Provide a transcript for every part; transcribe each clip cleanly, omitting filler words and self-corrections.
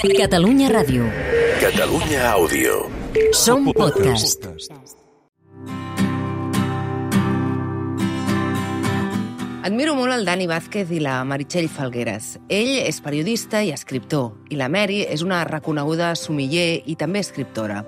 Catalunya Ràdio. Catalunya Àudio. Som podcast. Admiro molt el Dani Vázquez i la Meritxell Falgueres. Ell és periodista i escriptor, i la Meri és una reconeguda sumiller i també escriptora.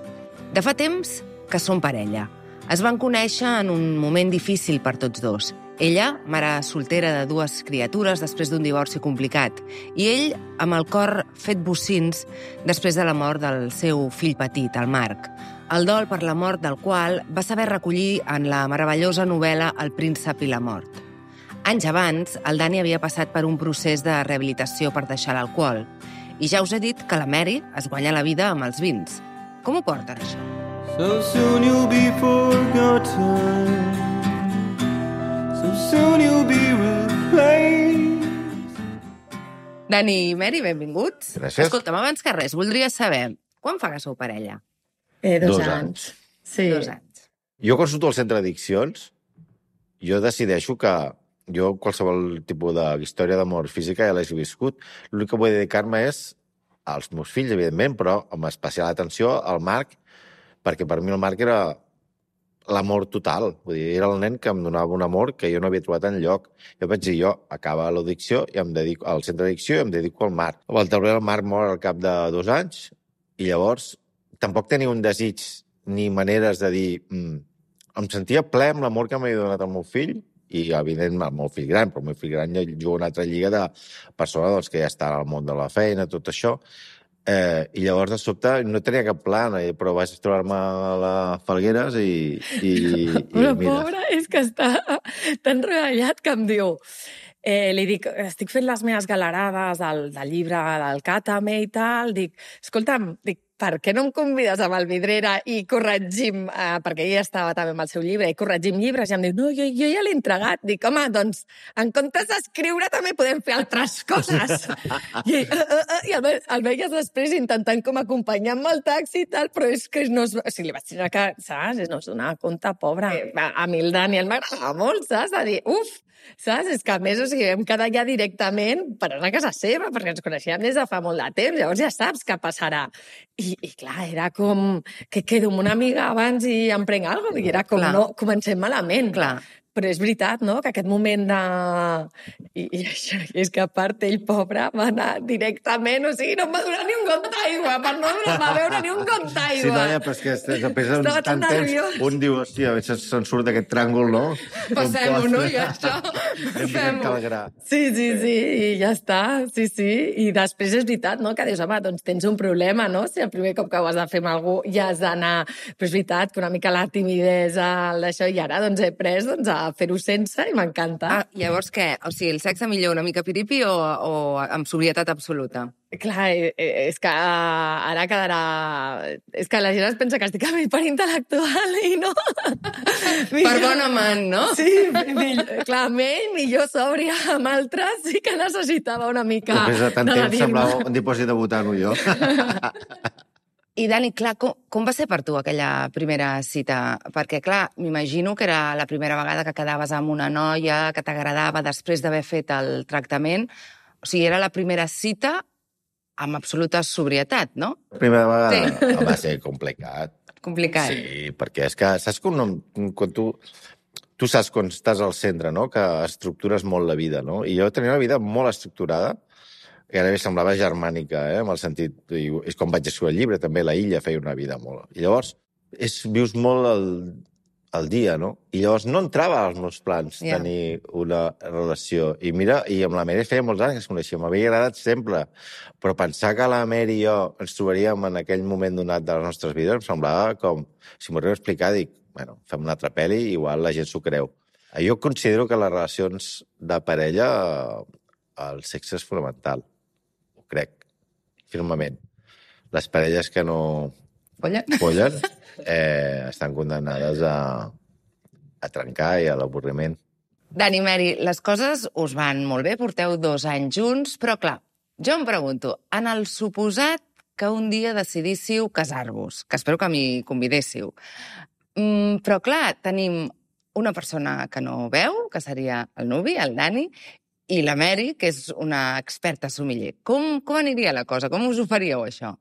De fa temps que són parella. Es van conèixer en un moment difícil per tots dos. Ella, mare soltera de 2 criatures després d'un divorci complicat, i ell amb el cor fet bocins després de la mort del seu fill petit, el Marc. El dol per la mort del qual va saber recollir en la meravellosa novel·la El príncep i la mort. Anys abans, el Dani havia passat per un procés de rehabilitació per deixar l'alcohol. I ja us he dit que la Meri es guanya la vida amb els vins. Com ho porten, això? So soon you'll be forgotten. So soon you'll be replaced. Dani i Meri, benvinguts. Gràcies. Escolta'm, abans que res, voldria saber quan fa que sou parella? 2 anys. Sí. 2 anys. Jo consulto el centre d'addiccions, jo decideixo que jo qualsevol tipus d'història d'amor física ja l'he viscut. L'únic que vull dedicar-me és als meus fills, evidentment, però amb especial atenció al Marc, perquè per mi el Marc era l'amor total. Vull dir, era el nen que em donava un amor que jo no havia trobat enlloc. Jo vaig dir, acaba l'addicció i em dedico al centre d'addicció i em dedico al Marc. Al taulell el Marc mor al cap de 2 anys i llavors tampoc tenia un desig ni maneres de dir... Em sentia ple amb l'amor que m'havia donat el meu fill i, evidentment, el meu fill gran, però el meu fill gran ja juga una altra lliga de persona doncs, que ja està al món de la feina, tot això. I llavors, de sobte, no tenia cap plan, però vaig trobar-me a la Falgueres i Però mira. pobra, és que està tan regallat que em diu... li dic, estic fent les meves galerades del llibre del Càtame i tal, dic, escolta'm, per què no em convides amb el Vidrera i corregim, perquè ella estava també amb el seu llibre, i corregim llibres, i em diu, no, jo ja l'he entregat. Dic, home, doncs, en comptes d'escriure també podem fer altres coses. I el veies després intentant com acompanyar amb el taxi i tal, però és que no es... O sigui, li vaig dir que, saps? No es donava compte, pobra. A mi el Daniel m'agradava molt, saps? De dir, saps? És que, a més, o sigui, vam quedar ja directament per anar a casa seva, perquè ens coneixíem des de fa molt de temps, llavors ja saps què passarà. I clar, era com que quedo amb una amiga abans i em prenc alguna cosa, i era com, Clar. no, comencem malament. Clar. Però és veritat, no?, que aquest moment de... I això, és que a part ell, pobre, va anar directament, o sigui, no em va donar ni un got d'aigua, per no va beure ni un got d'aigua. Sí, noia, però és que després de Estava tan tant temps, nerviós. un diu, hòstia, a veure si se'n surt d'aquest tràngol, no? Passem-ho, no?, i això, fem-ho. Sí, i ja està, sí. I després és veritat, no?, que dius, home, doncs tens un problema, no?, si el primer cop que ho has de fer amb algú ja has d'anar... Però és veritat que una mica la timidesa, això, i ara doncs he pres a fer-ho sense i m'encanta. Llavors què? O sigui, el sexe millor una mica piripi o amb sobrietat absoluta? Clar, és que ara quedarà... És que la gent es pensa que estic amb hiperintel·lectual i no. Per bon amant, no? Sí, clar, amb ell, millor sòbria, amb altres sí que necessitava una mica Després de tant de temps semblava un dipòsit de butano, jo. I, Dani, clar, com va ser per tu aquella primera cita? Perquè, clar, m'imagino que era la primera vegada que quedaves amb una noia que t'agradava després d'haver fet el tractament. O sigui, era la primera cita amb absoluta sobrietat, no? La primera vegada Sí. va ser complicat. Complicat. Sí, perquè és que saps quan tu saps quan estàs al centre, no?, que estructures molt la vida, no? I jo tenia una vida molt estructurada, i ara semblava germànica, en el sentit... És com vaig escriure el llibre, també la Illa feia una vida molt... I llavors vius molt el dia, no? I llavors no entrava als meus plans tenir una relació. I mira, i amb la Meri feia molts anys que es coneixíem, m'havia agradat sempre. Però pensar que la Meri i jo ens trobaríem en aquell moment donat de les nostres vides em semblava com... Si m'ho arribo a explicar, dic, bueno, fem una altra pel·li i igual la gent s'ho creu. Jo considero que les relacions de parella, el sexe és fonamental. Ho crec, firmament. Les parelles que no follen estan condemnades a trencar i a l'avorriment. Dani, Meri, les coses us van molt bé, porteu 2 anys junts, però clar, jo em pregunto, en el suposat que un dia decidíssiu casar-vos, que espero que m'hi convidéssiu, però clar, tenim una persona que no veu, que seria el nuvi, el Dani, i la Mary, que és una experta sommelier. Com aniria la cosa? Com us ho faríeu, això?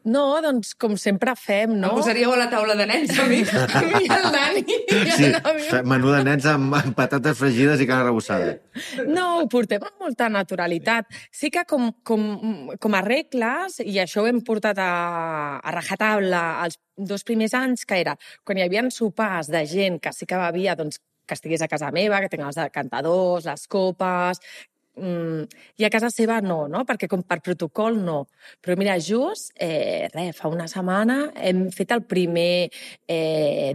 No, doncs com sempre fem, no? Em posaríeu a la taula de nens, a mi i el Dani. Sí, menú de nens amb patates fregides i carn arrebossada. No, ho portem amb molta naturalitat. Sí que com a regles, i això ho hem portat a rajatabla els 2 primers anys, que era quan hi havia sopars de gent que sí que bevia, doncs, que estigués a casa meva, que tingués els decantadors, les copes, i a casa seva no, perquè com per protocol no. Però mira, just, fa una setmana hem fet el primer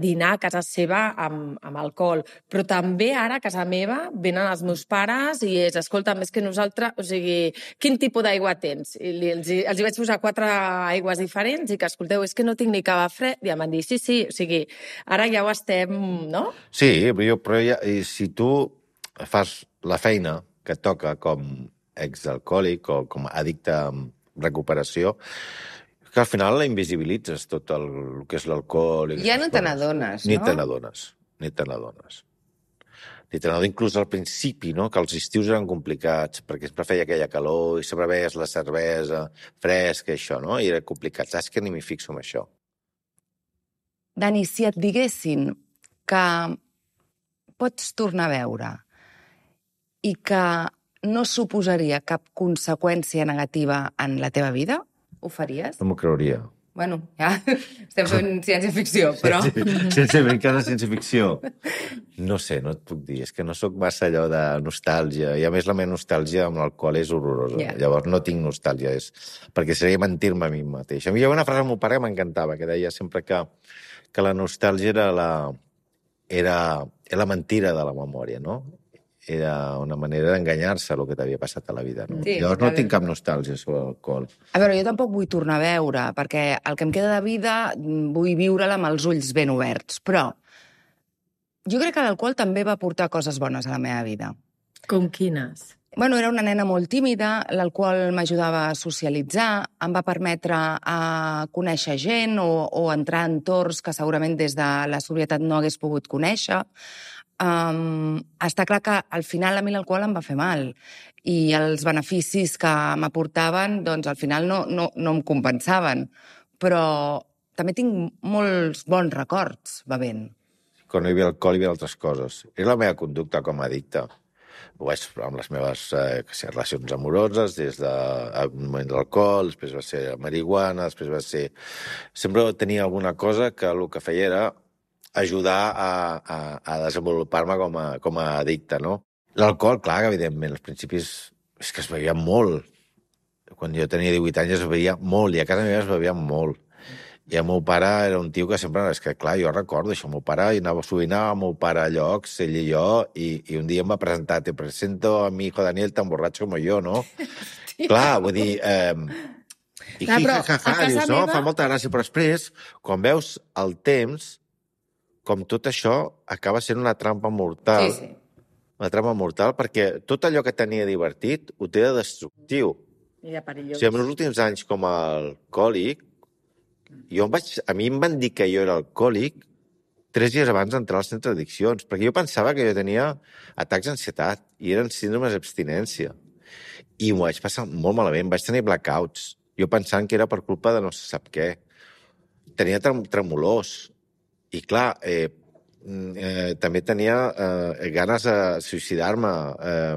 dinar a casa seva amb alcohol, però també ara a casa meva venen els meus pares i escolta, més que nosaltres, o sigui, quin tipus d'aigua tens? I els hi vaig posar 4 aigües diferents i que, escolteu, és que no tinc ni cava fred, i em van dir, sí, o sigui, ara ja ho estem, no? Sí, però si tu fas la feina que et toca com exalcohòlic o com addicte a recuperació, que al final la invisibilitzes tot el que és l'alcohol. Ja no te n'adones, no? Ni te n'adones. Inclús al principi, no? Que els estius eren complicats, perquè sempre feia aquella calor i sempre veies la cervesa fresca, això, no? I era complicat. Saps que ni m'hi fixo en això. Dani, si et diguessin que pots tornar a veure i que no suposaria cap conseqüència negativa en la teva vida, ho faries? No m'ho creuria. Bueno, ja estem fent ciència-ficció, però... Encara ciència-ficció. No sé, no et puc dir. És que no sóc massa allò de nostàlgia. I a més la meva nostàlgia amb l'alcohol és horrorosa. Yeah. Llavors no tinc nostàlgia, perquè seria mentir-me a mi mateix. A mi hi havia una frase del meu pare que m'encantava, que deia sempre que la nostàlgia era la mentira de la memòria, no? Era una manera d'enganyar-se el que t'havia passat a la vida. No? Sí, llavors no tinc cap nostàlgia sobre l'alcohol. A veure, jo tampoc vull tornar a veure, perquè el que em queda de vida vull viure-la amb els ulls ben oberts. Però jo crec que l'alcohol també va portar coses bones a la meva vida. Com quines? Bueno, era una nena molt tímida, l'alcohol m'ajudava a socialitzar, em va permetre a conèixer gent o entrar en entorns que segurament des de la sobrietat no hagués pogut conèixer. Està clar que al final a mi l'alcohol em va fer mal i els beneficis que m'aportaven doncs al final no em compensaven, però també tinc molts bons records bevent. Quan hi havia alcohol hi havia altres coses. Era la meva conducta com a addicte. Ho vaig amb les meves relacions amoroses, des del moment de l'alcohol, després va ser la marihuana, després va ser... Sempre tenia alguna cosa que el que feia era ajudar a desenvolupar-me com a addicte, no? L'alcohol, clar, que evidentment, als principis és que es bevia molt. Quan jo tenia 18 anys es bevia molt, i a casa meva es bevia molt. I el meu pare era un tio que sempre... És que, clar, jo recordo això, el meu pare sovint anava el meu pare a llocs, ell i jo, i un dia em va presentar, te presento a mi hijo Daniel tan borratxo com jo, no? Clar, vull dir... I dius, no? Fa molta gràcia, però després, quan veus el temps, com tot això acaba sent una trampa mortal. Sí. Una trampa mortal, perquè tot allò que tenia divertit ho té de destructiu. I de perillós. O sigui, en els últims anys com a alcohòlic, a mi em van dir que jo era alcohòlic 3 dies abans d'entrar al centre d'addiccions, perquè jo pensava que jo tenia atacs d'ansietat i eren síndromes d'abstinència. I m'ho vaig passar molt malament, vaig tenir blackouts. Jo pensant que era per culpa de no se sap què. Tenia tremolors. I clar, també tenia ganes de suïcidar-me,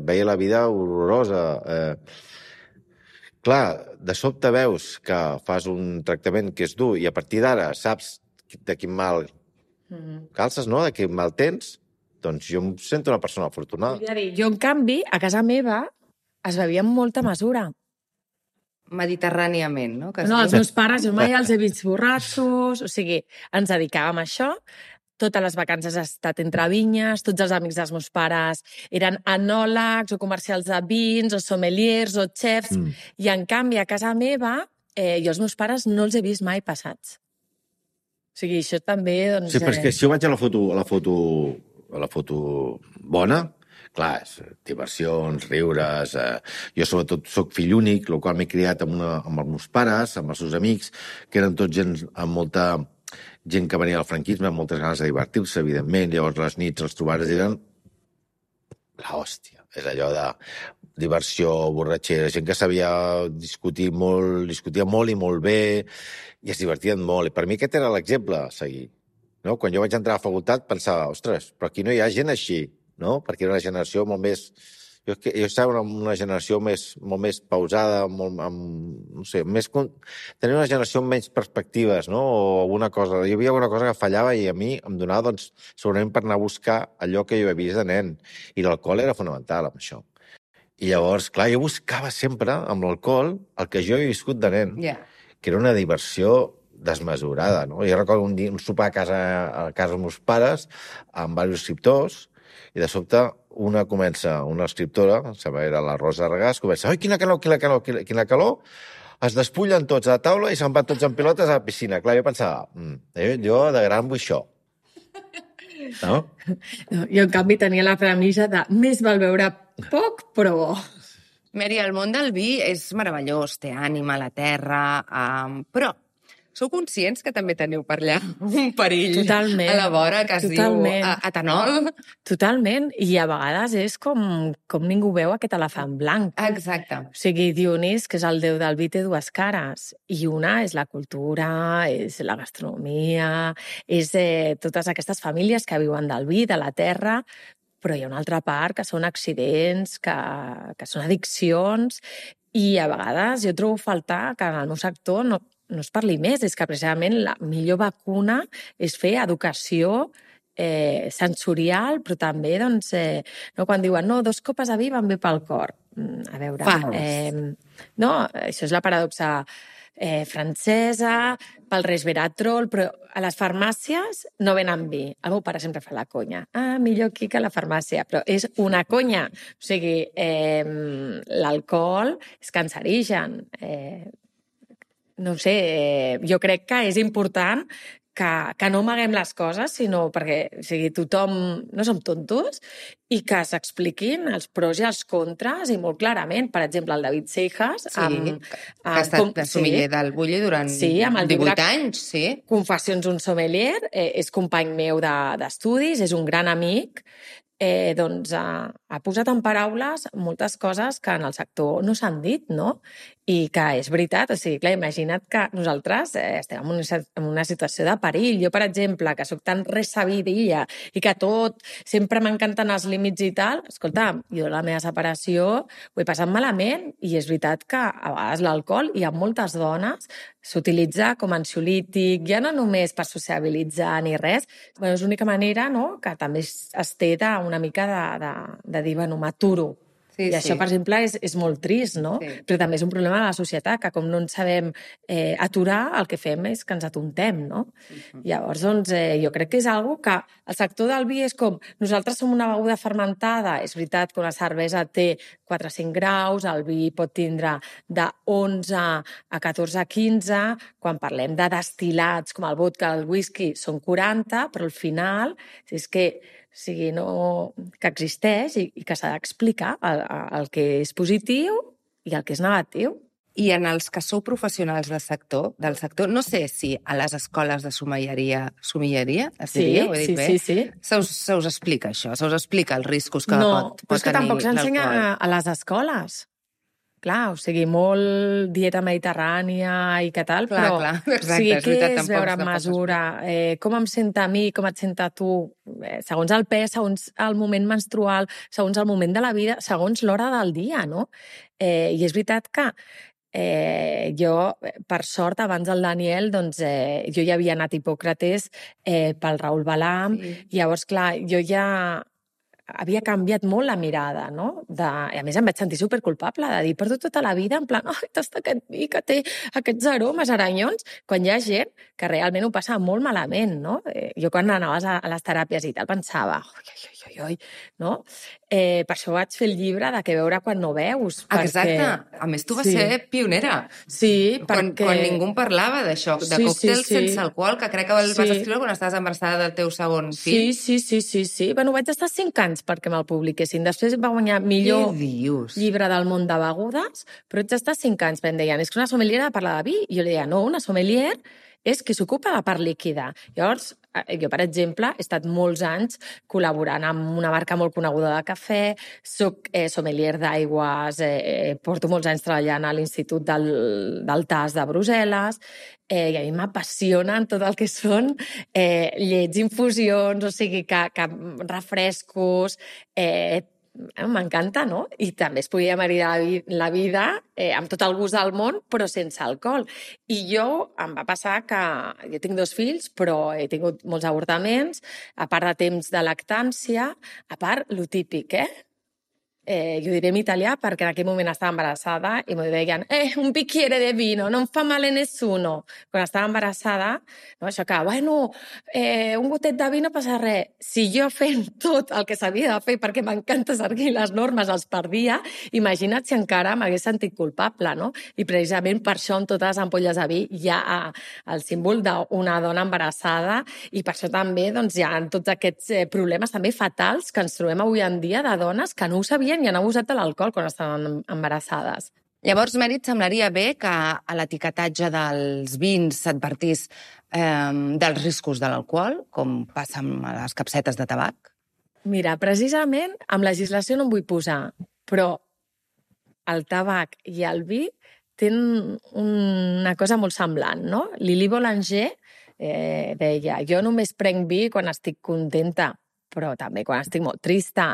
veia la vida horrorosa. Clar, de sobte veus que fas un tractament que és dur i a partir d'ara saps de quin mal calces, no? De quin mal tens, doncs jo em sento una persona afortunada. Jo, en canvi, a casa meva es bevia amb molta mesura. Mediterràniament, no? No, els meus pares, jo mai els he vist borratxos, o sigui, ens dedicàvem a això. Totes les vacances he estat entre vinyes, tots els amics dels meus pares eren enòlegs o comercials de vins o sommeliers o xefs, i en canvi a casa meva jo els meus pares no els he vist mai passats. O sigui, això també... Doncs, sí, però és que si jo vaig a la foto bona, clar, diversions, riures... Jo sobretot soc fill únic, el qual m'he criat amb els meus pares, amb els seus amics, que eren tots gent amb molta... gent que venia al franquisme, amb moltes ganes de divertir-se, evidentment. Llavors, les nits, els trobades eren l'hòstia. És allò de diversió, borratxera, gent que sabia discutir molt, discutia molt i molt bé, i es divertien molt. I per mi aquest era l'exemple a seguir. No? Quan jo vaig entrar a la facultat pensava, ostres, però aquí no hi ha gent així, no? Perquè era una generació molt més... Jo estava en una generació molt més pausada, no sé, tenia una generació amb menys perspectives, no? O alguna cosa. Hi havia alguna cosa que fallava i a mi em donava, doncs, segurament per anar a buscar allò que jo havia vist de nen. I l'alcohol era fonamental amb això. I llavors, clar, jo buscava sempre amb l'alcohol el que jo havia viscut de nen, que era una diversió desmesurada, no? Jo recordo un sopar a casa dels meus pares amb diversos escriptors i de sobte una escriptora, era la Rosa Regàs, comença, ai, quina calor, es despullen tots a la taula i se'n van tots en pilotes a la piscina. Clar, jo pensava, jo de gran vull això. No? Jo, en canvi, tenia la premissa de més val beure poc, però bo. Mary, el món del vi és meravellós, té ànima, la terra, però sou conscients que també teniu per allà un perill Totalment. a la vora que es diu etanol? Totalment, i a vegades és com ningú veu aquest elefant blanc. Exacte. O sigui, Dionís, que és el déu del vi, té dues cares, i una és la cultura, és la gastronomia, és totes aquestes famílies que viuen del vi, de la terra, però hi ha una altra part que són accidents, que són addiccions, i a vegades jo trobo a faltar que en el meu sector no es parli més, és que precisament la millor vacuna és fer educació sensorial, però també, doncs, quan diuen, 2 copes de vi van bé pel cor. A veure... no, això és la paradoxa francesa, pel resveratrol, però a les farmàcies no venen vi. El meu pare sempre fa la conya. Millor aquí que a la farmàcia, però és una conya. O sigui, l'alcohol és cancerigen. No ho sé, jo crec que és important que no amaguem les coses, sinó perquè tothom no som tontos i que s'expliquin els pros i els contres i molt clarament. Per exemple, el David Seijas... que ha estat de sommelier del Bulli durant 18 anys. Confessions d'un sommelier, és company meu d'estudis, és un gran amic, doncs ha posat en paraules moltes coses que en el sector no s'han dit, no? I que és veritat, o sigui, clar, imagina't que nosaltres estem en una situació de perill. Jo, per exemple, que sóc tan resabidilla i que tot, sempre m'encanten els límits i tal, escolta, jo la meva separació ho he passat malament i és veritat que a vegades l'alcohol, i en moltes dones, s'utilitza com ansiolític, ja no només per sociabilitzar ni res, però és l'única manera, no?, que també es té una mica de dir, bueno, m'aturo. I això, per exemple, és molt trist, no? Però també és un problema de la societat, que com no ens sabem aturar, el que fem és que ens atontem, no? Llavors, doncs, jo crec que és una que el sector del vi és com... Nosaltres som una beguda fermentada, és veritat que una cervesa té 4 o 5 graus, el vi pot tindre de 11 a 14 a 15, quan parlem de destil·lats com el vodka, el whisky, són 40, però al final és que que existeix i que s'ha d'explicar el que és positiu i el que és negatiu. I en els que sou professionals del sector, no sé si a les escoles de sommelleria, es diria, ho he dit bé? Sí. Se us explica això? Se us explica els riscos que pot tenir l'alcohol? No, però és que tampoc s'ensenya a les escoles. Clar, o sigui, molt dieta mediterrània i què tal, però exacte, què és veure en mesura? Com em senta a mi, com et senta a tu? Segons el pes, segons el moment menstrual, segons el moment de la vida, segons l'hora del dia, no? I és veritat que jo, per sort, abans del Daniel, doncs, jo ja havia anat a Hipòcrates pel Raül Balam, i llavors, clar, jo ja havia canviat molt la mirada, no? I a més em vaig sentir superculpable de dir, porto tota la vida en plan, tasta aquest vi que té aquests aromes aranyons, quan hi ha gent que realment ho passa molt malament, no? Jo quan anaves a les teràpies i tal pensava, oi, no? Per això vaig fer el llibre de què veure quan no veus. Exacte. A més, tu vas ser pionera. Sí, perquè... Quan ningú en parlava d'això, de còctels sense alcohol, que crec que el vas escriure quan estaves embarassada del teu segon fill. Sí. Bueno, vaig estar 5 anys perquè me'l publiquessin. Després va guanyar millor llibre del món de begudes, però ets estar 5 anys. Em deien, és que una sommelier ha de parlar de vi. I jo li deia, no, una sommelier és qui s'ocupa de la part líquida. Llavors, Jo, per exemple, he estat molts anys col·laborant amb una marca molt coneguda de cafè, soc sommelier d'aigües, porto molts anys treballant a l'Institut del Tas de Brussel·les, i a mi m'apassionen tot el que són llets, infusions, o sigui, que refrescos, m'encanta, no? I també es podia maridar la vida amb tot el gust del món, però sense alcohol. I em va passar que jo tinc 2 fills, però he tingut molts avortaments, a part de temps de lactància, a part, lo típic, jo diré en italià perquè en aquell moment estava embarassada i m'ho deien, un bicchiere de vino, no em fa mal a nessuno. Quan estava embarassada, no, això que, bueno, un gotet de vi no passa res. Si jo fent tot el que s'havia de fer perquè m'encanta seguir les normes, els perdia, imagina't si encara m'hagués sentit culpable, no? I precisament per això amb totes les ampolles de vi hi ha el símbol d'una dona embarassada i per això també doncs, hi ha tots aquests problemes també fatals que ens trobem avui en dia de dones que no ho sabien i han abusat de l'alcohol quan estaven embarassades. Llavors, Mary, et semblaria bé que a l'etiquetatge dels vins s'advertís dels riscos de l'alcohol, com passa amb les capsetes de tabac? Mira, precisament amb legislació no em vull posar, però el tabac i el vi tenen una cosa molt semblant, no? Lili Boulanger deia, jo només prenc vi quan estic contenta, però també quan estic molt trista,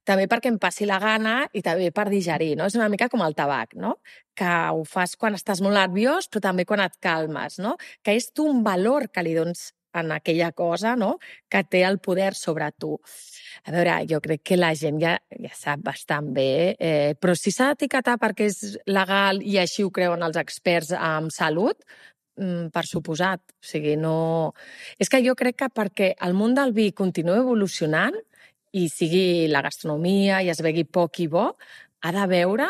també perquè em passi la gana i també per digerir, no? És una mica com el tabac, no? Que ho fas quan estàs molt nerviós, però també quan et calmes, no? Que és tu un valor que li dones en aquella cosa, no? Que té el poder sobre tu. A veure, jo crec que la gent ja sap bastant bé, però si s'ha d'etiquetar perquè és legal i així ho creuen els experts en salut, per suposat. O sigui, no... És que jo crec que perquè el món del vi continua evolucionant i sigui la gastronomia i es begui poc i bo, ha de veure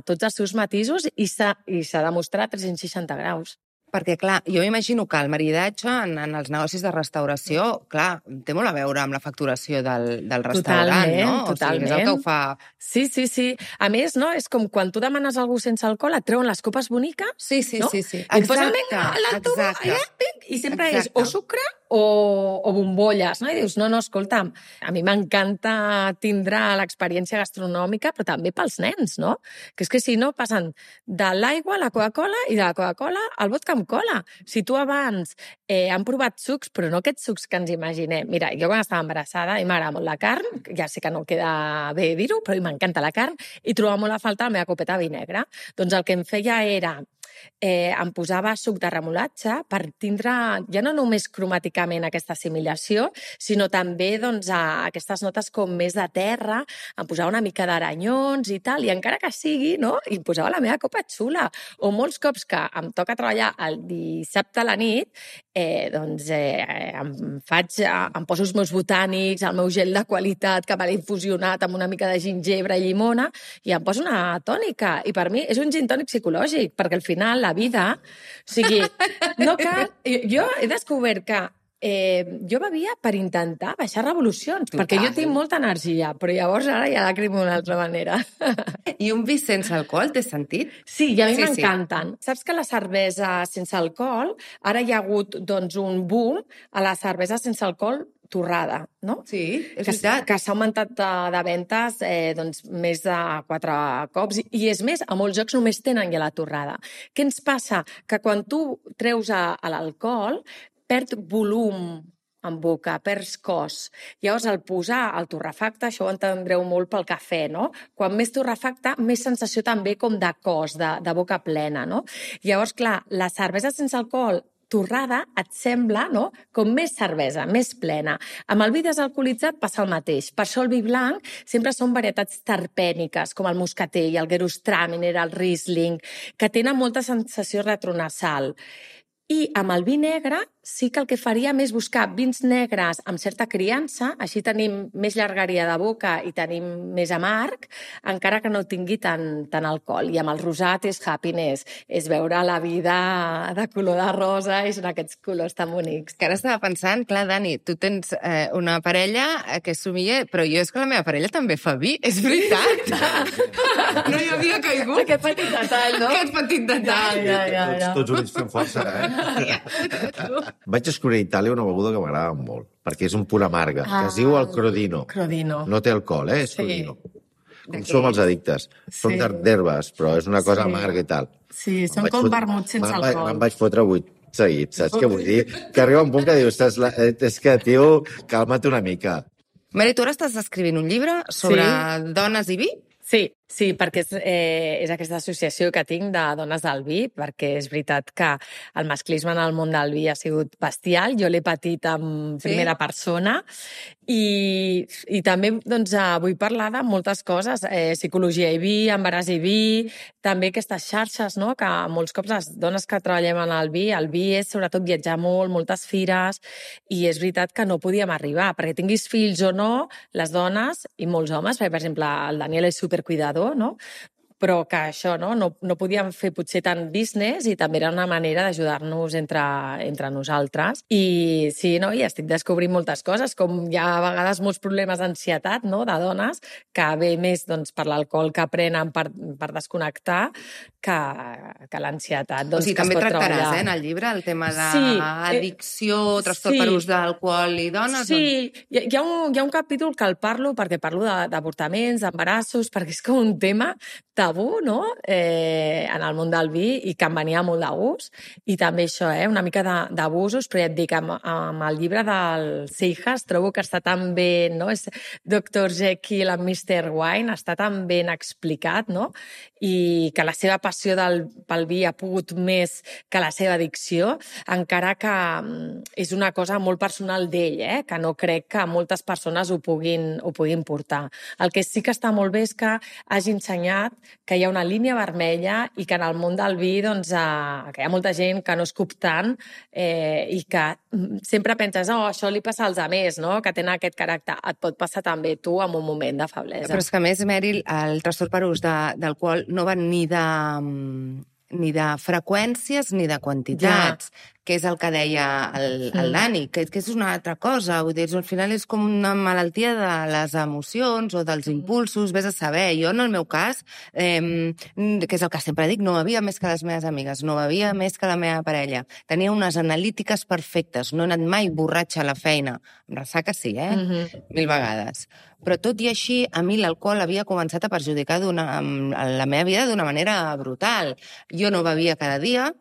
tots els seus matisos i s'ha de mostrar a 360 graus. Perquè, clar, jo m'imagino que el maridatge en els negocis de restauració, clar, té molt a veure amb la facturació del restaurant, no? Totalment. O sigui, és el que ho fa... Sí. A més, no? És com quan tu demanes algú sense alcohol, et treuen les copes boniques, Sí. no? Exacte. I et posen, vinga, i sempre és o sucre o bombolles, no? I dius, no, escolta'm, a mi m'encanta tindre l'experiència gastronòmica, però també pels nens, no? Que és que si no passen de l'aigua a la Coca-Cola i de la Coca-Cola al vodka amb cola. Si tu abans han provat sucs, però no aquests sucs que ens imaginem. Mira, jo quan estava embarassada i m'agrada molt la carn, ja sé que no queda bé dir-ho, però m'encanta la carn, i trobava molt a falta la meva copeta de vi negre. Doncs el que em feia era em posava suc de remolatge per tindre ja no només cromàticament aquesta assimilació, sinó també doncs, aquestes notes com més de terra, em posava una mica d'aranyons i tal, i encara que sigui, no? I em posava la meva copa xula. O molts cops que em toca treballar el dissabte a la nit, em poso els meus botànics, el meu gel de qualitat que me l'he infusionat amb una mica de gingebre i llimona, i em poso una tònica. I per mi és un gin tònic psicològic, perquè al final la vida, o sigui, no cal... Jo he descobert que jo bevia per intentar baixar revolucions, perquè jo tinc molta energia, però llavors ara ja la crimo d'una altra manera. I un vi sense alcohol, té sentit? Sí, i a mi m'encanten. Saps que la cervesa sense alcohol, ara hi ha hagut doncs, un boom a la cervesa sense alcohol torrada, no? Sí, és veritat. Que s'ha augmentat de ventes doncs, més de 4 cops. I és més, a molts jocs només tenen ja la torrada. Què ens passa? Que quan tu treus a l'alcohol, perd volum en boca, perds cos. Llavors, al posar el torrefacte, això ho entendreu molt pel cafè, no? Quan més torrefacte, més sensació també com de cos, de boca plena, no? Llavors, clar, la cervesa sense alcohol torrada et sembla, no?, com més cervesa, més plena. Amb el vi desalcoholitzat passa el mateix. Per això el vi blanc sempre són varietats terpèniques, com el moscatell, el Gewürztraminer, el Riesling, que tenen molta sensació retronasal. I amb el vi negre sí que el que faríem és buscar vins negres amb certa criança, així tenim més llargaria de boca i tenim més amarg, encara que no tingui tant alcohol. I amb el rosat és happiness, és veure la vida de color de rosa i són aquests colors tan bonics. Que ara estava pensant, clar, Dani, tu tens una parella que és sommelier, però jo és que la meva parella també fa vi, és veritat. No hi havia caigut. Aquest petit detall, no? Aquest petit detall. Tots units fem força, eh? Vaig descobrir a Itàlia una beguda que m'agrada molt, perquè és un punt amarga, que es diu el Crodino. Crodino. No té alcohol, és Sí. Crodino. Com som els addictes. Són d'herbes, però és una cosa amarga i tal. Sí, són com vermuts sense alcohol. Me'n vaig fotre 8 seguits, saps què vull dir? Que arriba un punt que dius, és que, tio, calma't una mica. Mary, tu ara estàs escrivint un llibre sobre dones i vi? Sí, perquè és aquesta associació que tinc de dones del vi, perquè és veritat que el masclisme en el món del vi ha sigut bestial, jo l'he patit en primera persona, i també doncs, vull parlar de moltes coses, psicologia i vi, embaràs i vi, també aquestes xarxes, no?, que molts cops les dones que treballem en el vi és sobretot viatjar molt, moltes fires, i és veritat que no podíem arribar, perquè tinguis fills o no, les dones i molts homes, perquè, per exemple, el Daniel és supercuidador, no? Però que això no podíem fer potser tant business i també era una manera d'ajudar-nos entre nosaltres. I sí, i estic descobrint moltes coses, com hi ha a vegades molts problemes d'ansietat, no?, de dones, que ve més doncs, per l'alcohol que prenen per desconnectar que l'ansietat. Doncs, O sigui, també tractaràs, en el llibre, el tema d'addicció, trastorn per ús d'alcohol i dones? Sí, hi ha un capítol que el parlo perquè parlo d'avortaments, d'embarassos, perquè és com un tema tabú, no?, en el món del vi i que em venia molt de gust. I també això, una mica d'abusos, però ja et dic, amb el llibre del Seijas trobo que està tan ben, no?, és Dr. Jekyll and Mr. Wine, està tan ben explicat, no?, i que la seva passió pel vi ha pogut més que la seva addicció, encara que és una cosa molt personal d'ell, que no crec que moltes persones ho puguin portar. El que sí que està molt bé és que hagi ensenyat que hi ha una línia vermella i que en el món del vi doncs, que hi ha molta gent que no escup tant i que sempre penses això li passa als altres, no?, que tenen aquest caràcter. Et pot passar també tu en un moment de feblesa. Però és que, a més, Meryl, el trastorn per ús d'alcohol no va ni de freqüències ni de quantitats, que és el que deia el Dani, que és una altra cosa. Vull dir, al final és com una malaltia de les emocions o dels impulsos, vés a saber. Jo, en el meu cas, que és el que sempre dic, no bevia més que les meves amigues, no bevia més que la meva parella. Tenia unes analítiques perfectes, no he anat mai borratxa a la feina. Em ressaca sí, 1000 vegades. Però tot i així, a mi l'alcohol havia començat a perjudicar la meva vida d'una manera brutal. Jo no bevia cada dia,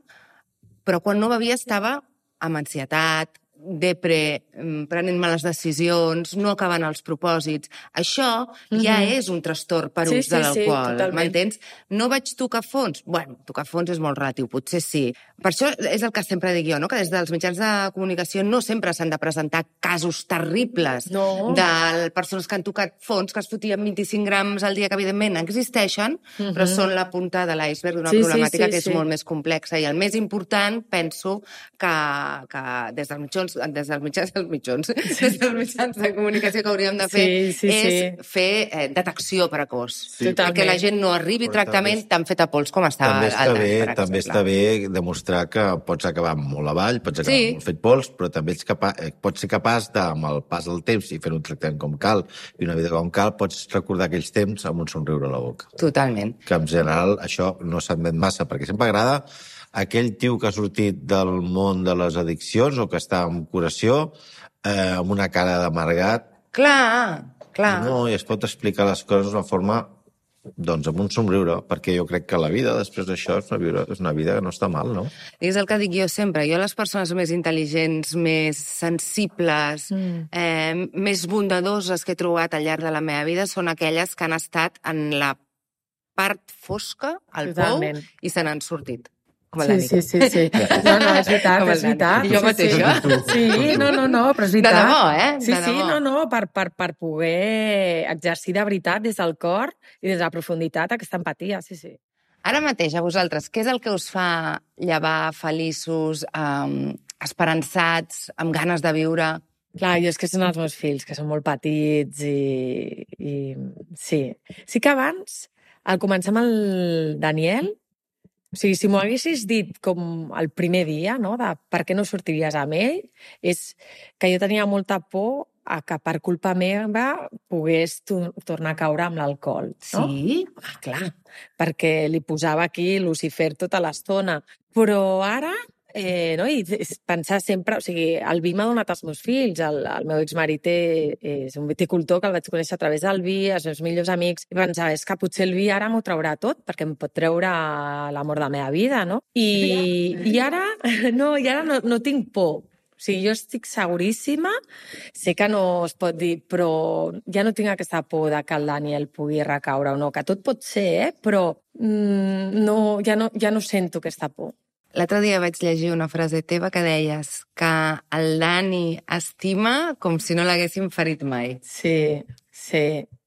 però quan no bevia estava amb ansietat, depre, prenent males decisions, no acabant els propòsits. Això ja és un trastorn per ús de l'alcohol, m'entens? No vaig tocar fons? Bueno, tocar fons és molt relatiu, potser sí. Per això és el que sempre dic jo, no?, que des dels mitjans de comunicació no sempre s'han de presentar casos terribles de persones que han tocat fons, que es fotien 25 grams al dia, que evidentment existeixen, però són la punta de l'iceberg d'una problemàtica que és molt més complexa. I el més important, penso, que des dels mitjans de comunicació que hauríem de fer és fer detecció precoç. Perquè la gent no arribi a tractament tan fet a pols com estava al Dani, per exemple. També està bé demostrar que pots acabar molt avall, pots acabar molt fet pols, però també pots ser capaç de, amb el pas del temps i fer un tractament com cal i una vida com cal, pots recordar aquells temps amb un somriure a la boca. Totalment. Que en general això no s'admet massa, perquè sempre agrada aquell tio que ha sortit del món de les addiccions o que està en curació amb una cara d'amargat. Clar. No, i es pot explicar les coses d'una forma, doncs, amb un somriure, perquè jo crec que la vida, després d'això, és una vida que no està mal, no? És el que dic jo sempre. Jo les persones més intel·ligents, més sensibles, més bondadoses que he trobat al llarg de la meva vida són aquelles que han estat en la part fosca, al pou, i se n'han sortit. Sí. No, és veritat. Jo mateixa. Sí, no, però és veritat. De debò, Sí, per poder exercir de veritat des del cor i des de la profunditat aquesta empatia, sí. Ara mateix, a vosaltres, què és el que us fa llevar feliços, esperançats, amb ganes de viure? Clar, jo és que són els meus fills, que són molt petits i sí. Sí que abans, al començar amb el Daniel, o sigui, si m'ho haguessis dit com el primer dia, no?, de per què no sortiries amb ell, és que jo tenia molta por a que per culpa meva pogués tornar a caure amb l'alcohol. No? Sí? Clar, perquè li posava aquí Lucifer tota l'estona. Però ara no? I pensar sempre... O sigui, el vi m'ha donat els meus fills. El meu exmarit és un viticultor que el vaig conèixer a través del vi, els meus millors amics. I pensava, és que potser el vi ara m'ho traurà tot, perquè em pot treure l'amor de la meva vida, no? I ara no tinc por. O sigui, jo estic seguríssima, sé que no es pot dir, però ja no tinc aquesta por de que el Daniel pugui recaure o no, que tot pot ser, però ja no sento aquesta por. L'altre dia vaig llegir una frase teva que deies que el Dani estima com si no l'haguessin ferit mai. Sí.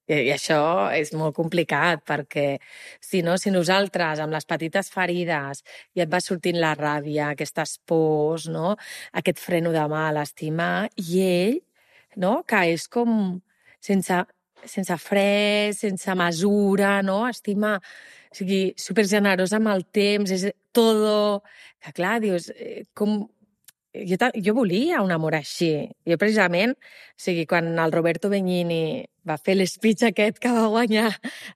I això és molt complicat, perquè si nosaltres, amb les petites ferides, ja et va sortint la ràbia, aquestes pors, no? Aquest freno de mà a l'estimar, i ell, no? Que és com sense fre, sense mesura, no? Estima, o sigui, supergenerós amb el temps, és todo... Que clar, dius, com... Jo volia un amor així. Jo, precisament, o sigui, quan el Roberto Benigni va fer l'espeech aquest que va guanyar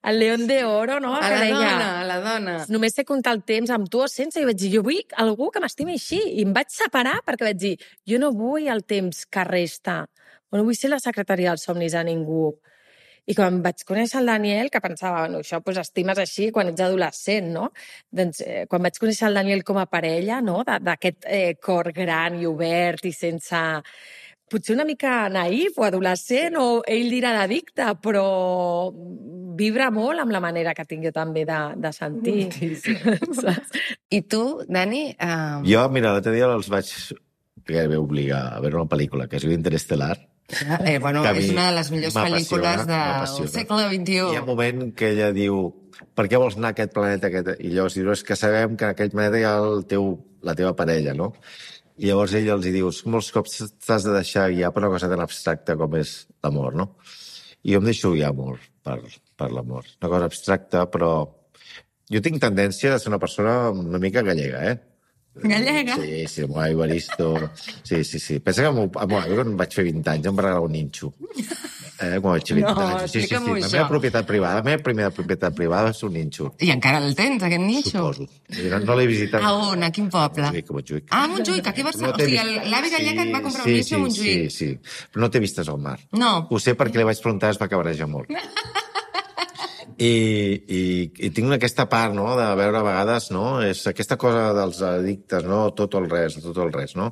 el León de Oro, no? A la dona. Només sé comptar el temps amb tu o sense, i vaig dir, jo vull algú que m'estimi així. I em vaig separar perquè vaig dir, jo no vull el temps que resta. No vull ser la secretària dels somnis a ningú. I quan vaig conèixer el Daniel, que pensava, bueno, això pues, estimes així quan ets adolescent, no? Doncs quan vaig conèixer el Daniel com a parella, no? D'aquest cor gran i obert i sense... Potser una mica naïf o adolescent, o ell dirà d'addicte, però vibra molt amb la manera que tinc jo també de sentir. Sí. I tu, Dani? Jo, mira, l'altre dia els vaig gairebé obligar a veure una pel·lícula que es diu Interestelar. Bueno, és una de les millors pel·lícules del segle XXI. Hi ha un moment que ella diu, per què vols anar a aquest planeta? I llavors diu, és que sabem que en aquell planeta hi ha la teva parella, no? I llavors ell els diu, molts cops t'has de deixar guiar per una cosa tan abstracta com és l'amor, no? I jo em deixo guiar molt per l'amor. Una cosa abstracta, però jo tinc tendència a ser una persona una mica gallega, Gallega? Sí, molt Evaristo. Sí. Pensa que quan vaig fer 20 anys em va regalar un ninxo. Quan vaig fer 20 anys. Sí. La meva propietat privada, la meva primera propietat privada va ser un ninxo. I encara el tens, aquest ninxo? Suposo. No l'he visitat. A on? A quin poble? A Montjuïc. Ah, a Montjuïc, aquí a Barcelona. O sigui, l'avi gallec et va comprar un ninxo a Montjuïc. Sí. Però no t'he vistes al mar. No. Ho sé perquè li vaig preguntar, es va cabrejar molt. I tinc aquesta part, no?, de veure a vegades, no?, és aquesta cosa dels addictes, no?, tot o el res, no?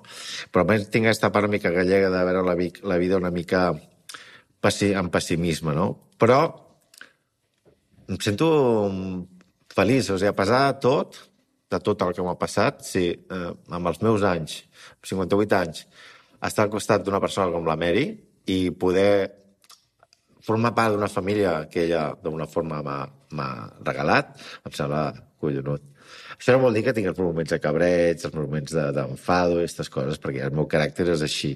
Però a més tinc aquesta part una mica gallega de veure la vida una mica amb pessimisme, no? Però em sento feliç, o sigui, a pesar de tot el que m'ha passat, sí, amb els meus anys, 58 anys, estar al costat d'una persona com la Mary i poder formar part d'una família que ella d'una forma m'ha regalat, em sembla collonut. Això no vol dir que tinc els moments de cabreig, els moments d'enfado i aquestes coses, perquè el meu caràcter és així.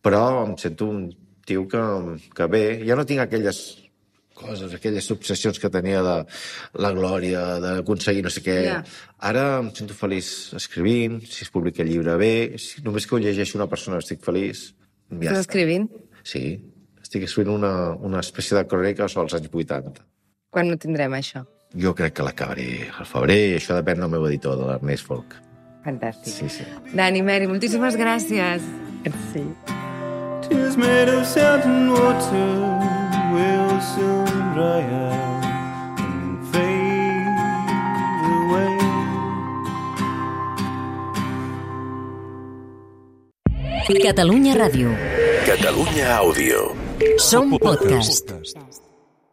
Però em sento un tio que bé, ja no tinc aquelles coses, aquelles obsessions que tenia de la glòria, d'aconseguir no sé què. Yeah. Ara em sento feliç escrivint, si es publica el llibre bé, només que ho llegeixo una persona estic feliç. Ja estàs escrivint? Sí. Estic escrivint una espècie de crònica sobre els anys 80. Quan no tindrem això? Jo crec que l'acabaré al febrer, i això depèn del meu editor, de l'Ernest Folk. Fantàstic. Sí. Dani, Mary, moltíssimes gràcies. Sí. Tears made of sand and water will soon dry out and fade away. Catalunya Ràdio. Catalunya Àudio. Som podcast.